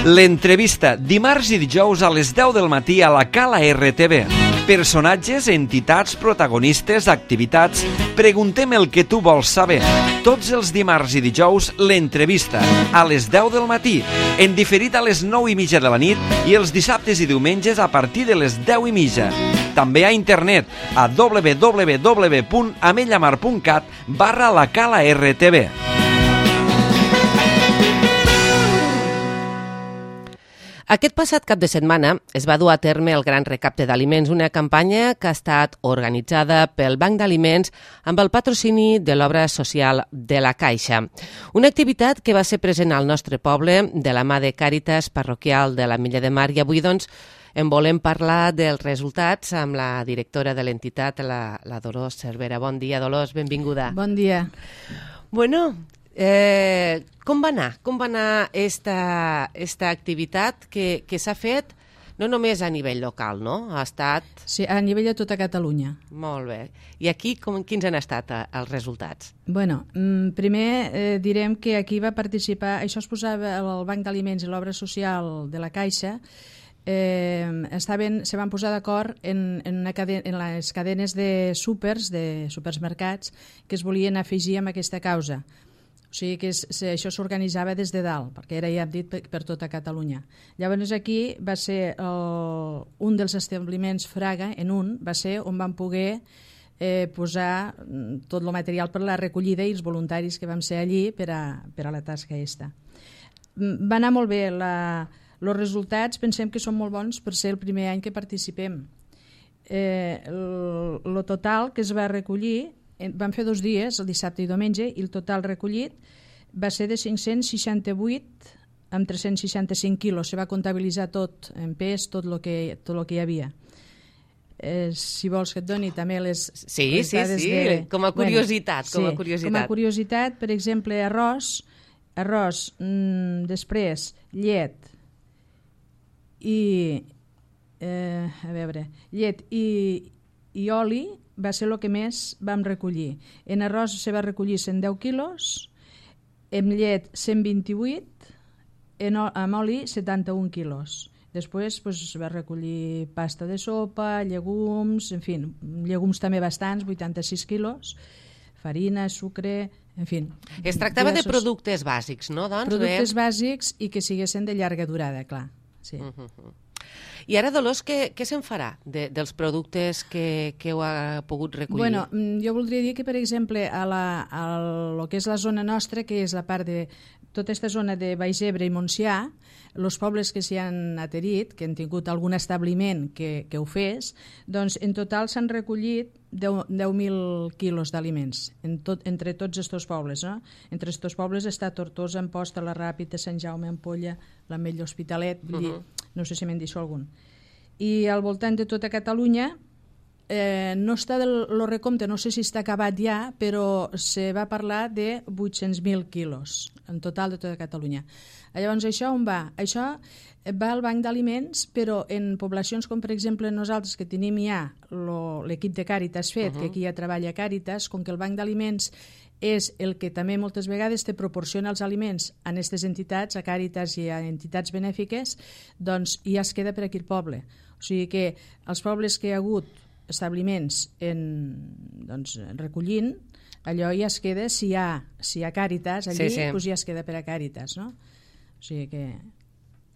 L'entrevista, dimarts i dijous a les 10 del matí a la Cala RTV. Personatges, entitats, protagonistes, activitats. Preguntem el que tu vols saber. Tots els dimarts i dijous, l'entrevista, a les 10 del matí, en diferit a les 9:30 de la nit i els dissabtes i diumenges a partir de les 10:30. També a internet a www.amellamar.cat/la Cala RTV. Aquest passat cap de setmana es va dur a terme el Gran Recapte d'Aliments, una campanya que ha estat organitzada pel Banc d'Aliments amb el patrocini de l'obra social de la Caixa. Una activitat que va ser present al nostre poble de la mà de Càritas Parroquial de l'Ametlla de Mar i avui doncs en volem parlar dels resultats amb la directora de l'entitat, la Dolors Cervera. Bon dia, Dolors, benvinguda. Bon dia. Bueno, com va anar esta activitat que s'ha fet no només a nivell local, no? Ha estat... Sí, a nivell de tota Catalunya. Molt bé. I aquí quins han estat els resultats? Bueno, primer direm que aquí va participar... Això es posava el Banc d'Aliments i l'obra social de la Caixa. Se van posar d'acord en les cadenes de supermercats que es volien afegir amb aquesta causa. O sigui que això s'organitzava des de dalt, perquè era, ja hem dit, per tota Catalunya. Llavors aquí va ser un dels establiments Fraga, va ser on vam poder posar tot el material per la recollida i els voluntaris que vam ser allí per a la tasca aquesta. Va anar molt bé. Els resultats pensem que són molt bons per ser el primer any que participem. El total que es va recollir, vam fer 2 dies, el dissabte i diumenge, i el total recollit va ser de 568 amb 365 quilos. Se va comptabilitzar tot en pes, tot el que hi havia. Si vols que et doni també les... Sí, com a curiositat. Com a curiositat, per exemple, arròs, després llet i oli va ser el que més vam recollir. En arròs se va recollir 110 quilos, en llet 128, amb oli 71 quilos. Després es va recollir pasta de sopa, llegums, en fi, llegums també bastants, 86 quilos, farina, sucre, en fi. Es tractava de productes bàsics, no? Productes bàsics i que siguessin de llarga durada, clar. Sí. I ara, Dolors, què se'n farà dels productes que heu pogut recollir? Bueno, jo voldria dir que, per exemple, a lo que és la zona nostra, que és la part de tota aquesta zona de Baix Ebre i Montsià, els pobles que s'hi han adherit, que han tingut algun establiment que ho fes, doncs en total s'han recollit 10.000 quilos d'aliments entre tots aquests pobles. No? Entre aquests pobles està Tortosa, Amposta, la Ràpita, Sant Jaume, Ampolla, l'Ametlla, Hospitalet, vull dir, no sé si me'n deixo algun. I al voltant de tota Catalunya no està el recompte, no sé si està acabat ja, però se va parlar de 800.000 quilos en total de tota Catalunya. Llavors, això on va? Això va al Banc d'Aliments, però en poblacions com, per exemple, nosaltres que tenim ja l'equip de Càritas fet, que aquí ja treballa Càritas, com que el Banc d'Aliments és el que també moltes vegades te proporciona els aliments a aquestes entitats, a Càritas i a entitats benèfiques, doncs ja es queda per aquí el poble. O sigui que els pobles que hi ha hagut establiments recollint, allò ja es queda, si hi ha Càritas allí, doncs ja es queda per a Càritas, no? O sigui que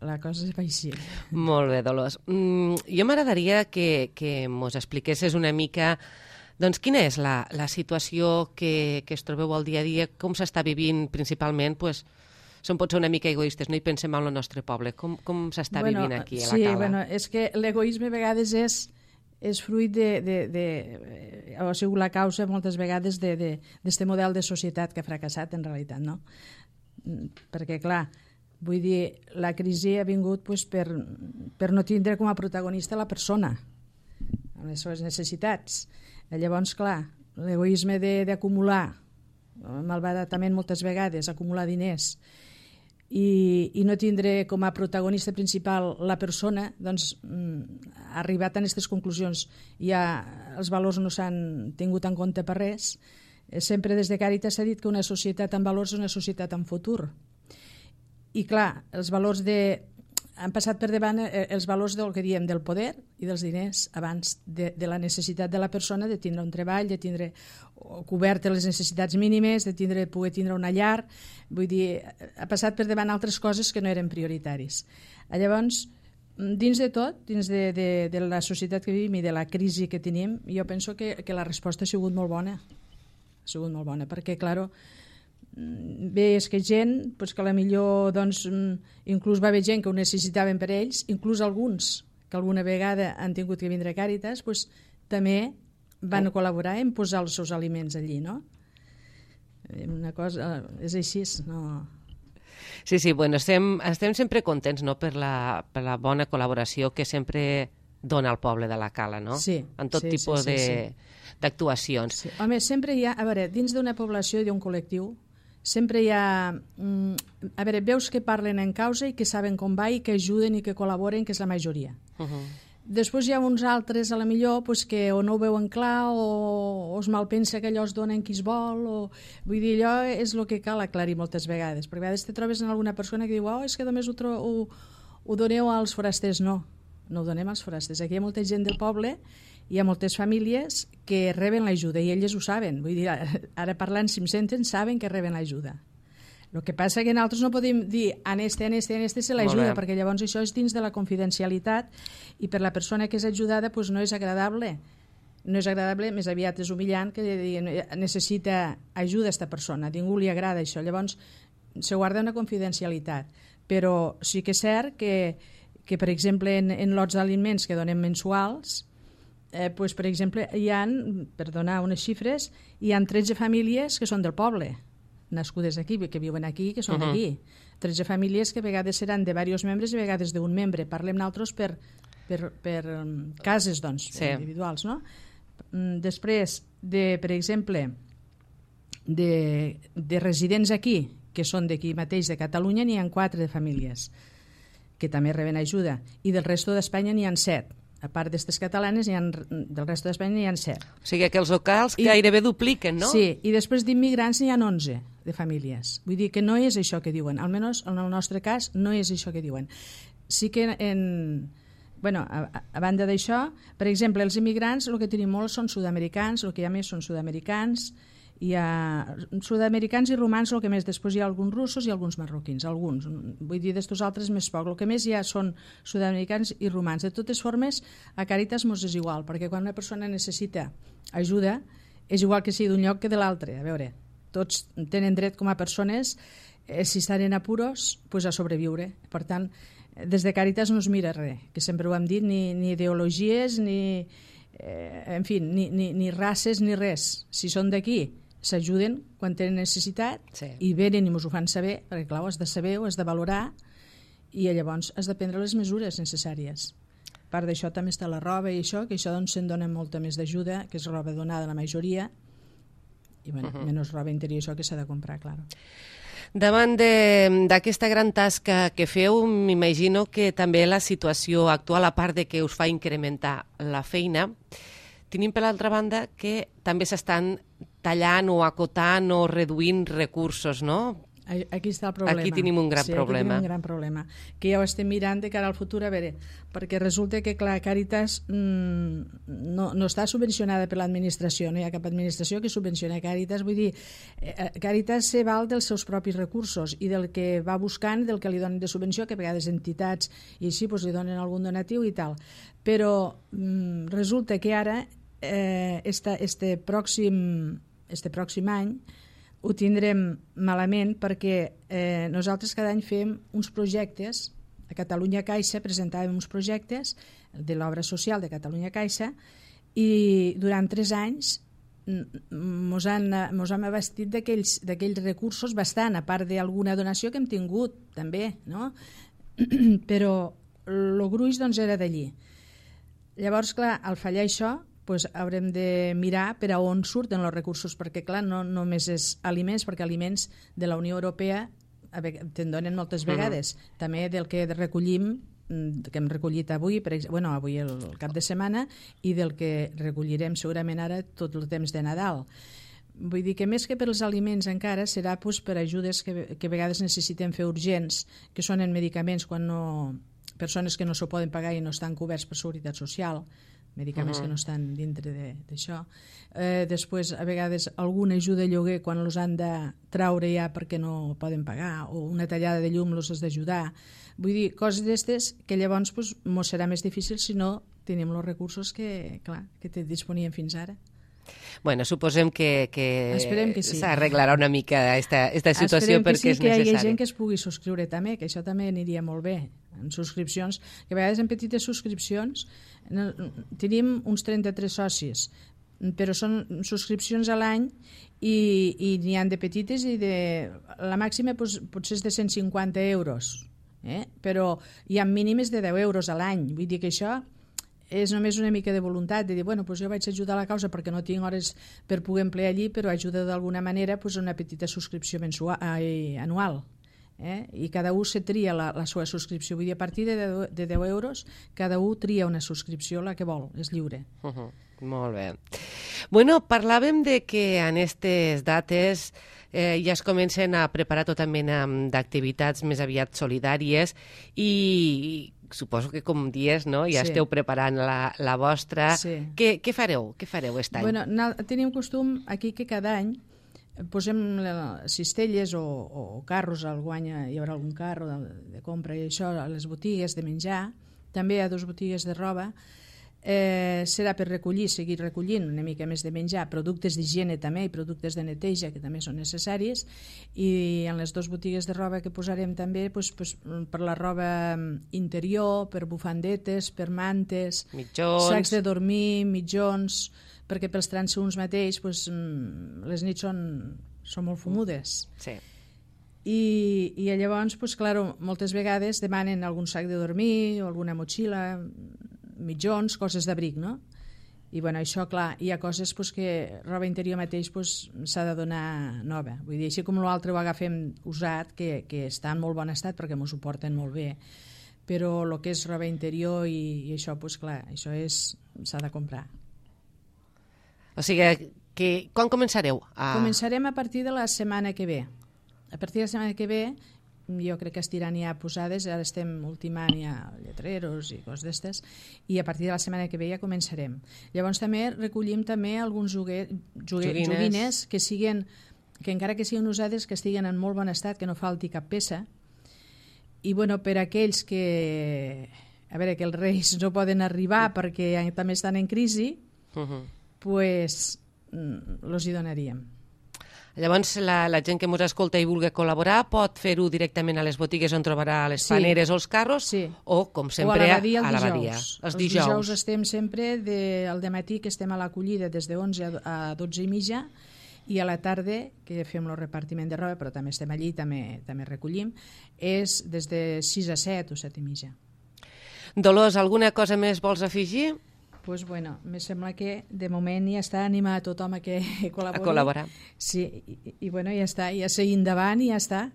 la cosa és així. Molt bé, Dolors. Jo m'agradaria que mos expliquessis una mica doncs quina és la situació que es trobeu al dia a dia, com s'està vivint principalment, doncs, som pot ser una mica egoistes, no hi pensem en el nostre poble. Com s'està vivint aquí a la Cala? Sí, és que l'egoisme a vegades és fruit ha sigut la causa moltes vegades d'aquest model de societat que ha fracassat en realitat, no? Perquè, clar, vull dir, la crisi ha vingut per no tindre com a protagonista la persona, amb les seves necessitats. Llavors, clar, l'egoisme d'acumular, malbaratament moltes vegades, acumular diners, i no tindre com a protagonista principal la persona, doncs ha arribat a aquestes conclusions. Ja els valors no s'han tingut en compte per res. Sempre des de Càritas s'ha dit que una societat amb valors és una societat amb futur. I clar, els valors han passat per davant els valors del que diem del poder i dels diners abans de la necessitat de la persona de tindre un treball, de tindre cobertes les necessitats mínimes, de poder tindre una llar. Vull dir, ha passat per davant altres coses que no eren prioritaris. Llavors, dins de tot, dins de la societat que vivim i de la crisi que tenim, jo penso que la resposta ha sigut molt bona. Ha sigut molt bona, perquè, clar, bé, és que gent, pues que potser doncs, inclús va haver gent que ho necessitaven per ells, inclús alguns que alguna vegada han tingut que vindre a Càritas, pues, també van col·laborar en posar els seus aliments allí, no? Una cosa, és així, no? Sí, bueno, estem sempre contents, no?, per la bona col·laboració que sempre dona el poble de la Cala, no? Sí. En tot tipus d'actuacions. Sí. Home, sempre hi ha, a veure, dins d'una població i d'un col·lectiu, sempre hi ha... a veure, veus que parlen en causa i que saben com va i que ajuden i que col·laboren, que és la majoria. Després hi ha uns altres, a la millor, pues, que o no ho veuen clar o es malpensa que allò es donen qui es vol. Vull dir, allò és el que cal aclarir moltes vegades, perquè a vegades te trobes en alguna persona que diu és que només ho doneu als forasters. No ho donem als forasters. Aquí hi ha molta gent del poble, hi ha moltes famílies que reben l'ajuda i elles ho saben. Vull dir, ara parlant, si em senten, saben que reben l'ajuda. El que passa que nosaltres no podem dir a este se l'ajuda, perquè llavors això és dins de la confidencialitat i per la persona que és ajudada pues no és agradable. No és agradable, més aviat és humillant que necessita ajuda a aquesta persona. A ningú li agrada això. Llavors se guarda una confidencialitat. Però sí que és cert que per exemple, en lots d'aliments que donem mensuals, pues, per exemple, hi ha, per donar unes xifres, hi ha 13 famílies que són del poble, nascudes aquí, que viuen aquí, que són d'aquí. 13 famílies que a vegades seran de diversos membres i a vegades d'un membre. Parlem nosaltres per cases, doncs, individuals, no? Després, per exemple, de residents aquí, que són d'aquí mateix, de Catalunya, n'hi ha 4 de famílies que també reben ajuda, i del resto d'Espanya n'hi ha 7. A part d'aquestes catalanes, del resto d'Espanya n'hi ha 7. O sigui que els locals gairebé dupliquen, no? Sí, i després d'immigrants n'hi ha 11 de famílies. Vull dir que no és això que diuen, almenys en el nostre cas no és això que diuen. Sí que a banda d'això, per exemple, els immigrants, el que tenim molts són sud-americans, el que hi ha més són sud-americans, hi ha sud-americans i romans, el que més, després hi ha alguns russos i alguns marroquins, alguns, vull dir, d'estos altres més poc, el que més hi ha són sud-americans i romans. De totes formes, a Càritas mos és igual, perquè quan una persona necessita ajuda, és igual que sigui d'un lloc que de l'altre. A veure, tots tenen dret com a persones, si estan en apuros, pues a sobreviure. Per tant, des de Càritas no es mira res, que sempre ho hem dit, ni ideologies, ni races, ni res. Si són d'aquí, s'ajuden quan tenen necessitat i venen i ens ho fan saber, perquè clar, ho has de saber, ho has de valorar i llavors has de prendre les mesures necessàries. A part d'això també està la roba i això, que això doncs se'n dona molta més d'ajuda, que és roba donada a la majoria i menys roba interior, això que s'ha de comprar, clar. Davant d'aquesta gran tasca que feu, m'imagino que també la situació actual, a part de que us fa incrementar la feina, tenim per l'altra banda que també s'estan tallant o acotant o reduint recursos, no? Aquí està el problema. Aquí tenim un gran problema. Aquí tenim un gran problema, que ja ho estem mirant de cara al futur, a veure, perquè resulta que, clar, Càritas no està subvencionada per l'administració, no hi ha cap administració que subvenciona Càritas, vull dir, Càritas se val dels seus propis recursos i del que va buscant, del que li donen de subvenció, que a vegades entitats i així li donen algun donatiu i tal. Però resulta que ara, este pròxim any, ho tindrem malament perquè nosaltres cada any fem uns projectes, a Catalunya Caixa presentàvem uns projectes de l'obra social de Catalunya Caixa i durant 3 anys mos hem abastit d'aquells recursos bastant, a part d'alguna donació que hem tingut també, no? Però el gruix doncs era d'allí. Llavors, clar, al fallar això, pues haurem de mirar per a on surten els recursos, perquè clar, no només és aliments, perquè aliments de la Unió Europea te'n donen moltes vegades, també del que recollim, que hem recollit avui, avui el cap de setmana, i del que recollirem segurament ara tot el temps de Nadal. Vull dir que més que per als aliments encara serà per ajudes que a vegades necessitem fer urgents, que són en medicaments quan no persones que no s'ho poden pagar i no estan coberts per Seguretat Social, medicaments que no estan dintre d'això. Després, a vegades, alguna ajuda a lloguer quan els han de traure ja perquè no poden pagar, o una tallada de llum els has d'ajudar. Vull dir, coses d'aquestes que llavors mos serà més difícil si no tenim els recursos que te disponien fins ara. Bueno, suposem que sí. S'arreglarà una mica esta situació perquè és necessari. Esperem que sí, que hi hagi gent que es pugui subscriure també, que això també aniria molt bé. En subscripcions, que a vegades en petites subscripcions tenim uns 33 socis, però són subscripcions a l'any i n'hi ha de petites i la màxima potser és de 150 euros, però hi ha mínimes de 10 euros a l'any. Vull dir que això és només una mica de voluntat de dir, bueno, doncs jo vaig ajudar a la causa perquè no tinc hores per poder emplear allí, però ajuda d'alguna manera una petita subscripció anual. I cada un se tria la seva subscripció. Vull dir, a partir de 10 euros, cada un tria una subscripció, la que vol, és lliure. Molt bé. Bueno, parlàvem de que en aquestes dates ja es comencen a preparar tota mena d'activitats més aviat solidàries i suposo que, com dies, no? Ja esteu preparant la vostra. Sí. Què fareu? Què fareu aquest any? Bueno, tenim costum aquí que cada any posem cistelles o carros, hi haurà algun carro de compra i això, a les botigues de menjar, també a 2 botigues de roba. Serà per seguir recollint una mica més de menjar, productes d'higiene també i productes de neteja que també són necessaris, i en les 2 botigues de roba que posarem també per la roba interior, per bufandetes, per mantes, mitjons, sacs de dormir, mitjons, perquè pels transeünts mateix les nits són molt fumudes. Sí. I llavors, moltes vegades demanen algun sac de dormir o alguna motxilla, mitjons, coses d'abric, no? I això, clar, hi ha coses que roba interior mateix s'ha de donar nova. Vull dir, així com l'altre ho agafem usat, que està en molt bon estat perquè m'ho suporten molt bé, però el que és roba interior i això, clar, això s'ha de comprar. O sigui, quan començareu? Començarem a partir de la setmana que ve. A partir de la setmana que ve jo crec que estiran ja posades, ara estem ultimant ja lletreros i coses d'estes, i a partir de la setmana que ve ja començarem. Llavors també recollim alguns joguines que encara que siguin usades, que estiguen en molt bon estat, que no falti cap peça, i per aquells que els reis no poden arribar perquè també estan en crisi, els hi donaríem. Llavors, la gent que ens escolta i vulgui col·laborar pot fer-ho directament a les botigues on trobarà les paneres o els carros, o, com sempre, a l'abadia. Els dijous estem sempre al dematí, que estem a l'acollida des de 11 a 12:30, i a la tarda, que fem el repartiment de roba, però també estem allí, també recollim, és des de 6 a 7 o 7:30. Dolors, alguna cosa més vols afegir? Doncs, me sembla que de moment ja està animat tothom a que col·labori. A col·laborar. Sí, i ja està, ja seguim endavant i ja està.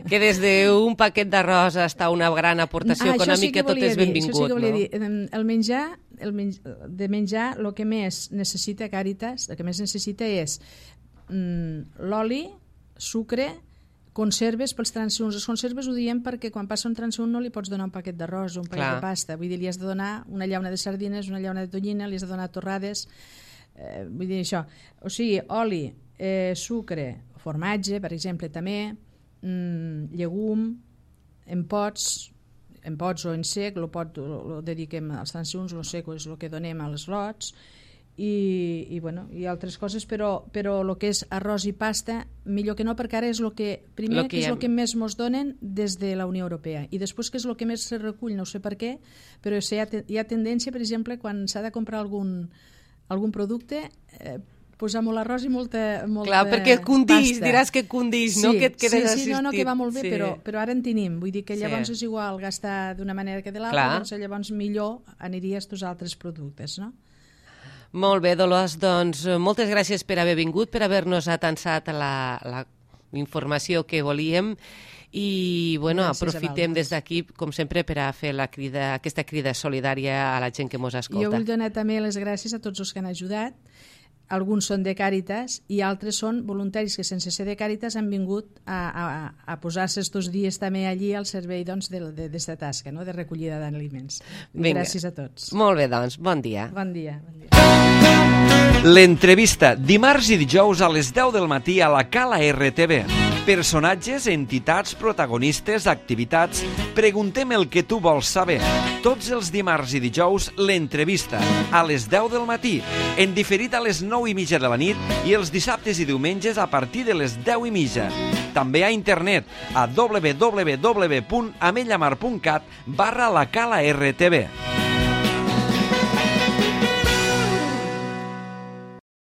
Que des d'un paquet d'arròs hasta una gran aportació econòmica tot és benvingut, no? Això sí que volia dir. El menjar, el que més necessita Càritas, el que més necessita és l'oli, sucre, conserves pels transeünts. Les conserves ho diem perquè quan passa un transeünt no li pots donar un paquet d'arròs o un paquet de pasta. Vull dir, li has de donar una llauna de sardines, una llauna de tonyina, li has de donar torrades. Vull dir això. O sigui, oli, sucre, formatge, per exemple, també, llegum, en pots o en sec, el dediquem als transeünts, el sec és el que donem als lots, i altres coses, però el que és arròs i pasta millor que no, perquè ara és el que més mos donen des de la Unió Europea, i després que és el que més se recull, no sé per què, però hi ha tendència, per exemple, quan s'ha de comprar algun producte, posar molt arròs i molta clar, perquè condís, pasta. Diràs que condís, no? Que et quedes assistit. Sí, que va molt bé, però ara en tenim. Vull dir que llavors és igual gastar d'una manera que de l'altra, doncs llavors millor aniria als altres productes, no? Molt bé, Dolors, doncs moltes gràcies per haver vingut, per haver-nos atansat la informació que volíem, i aprofitem des d'aquí, com sempre, per a fer aquesta crida solidària a la gent que ens escolta. Jo vull donar també les gràcies a tots els que han ajudat, alguns són de Càritas i altres són voluntaris que sense ser de Càritas han vingut a posar-se estos dies també allí al servei d'esta tasca, no? De recollida d'aliments. Gràcies a tots. Molt bé, doncs, bon dia. Bon dia. L'entrevista, dimarts i dijous a les 10 del matí a la Cala RTV. Personatges, entitats, protagonistes, activitats... Preguntem el que tu vols saber. Tots els dimarts i dijous, l'entrevista, a les 10 del matí, en diferit a les 9:30 de la nit i els dissabtes i diumenges a partir de les 10:30. També a internet a www.amellamar.cat/la Cala RTV.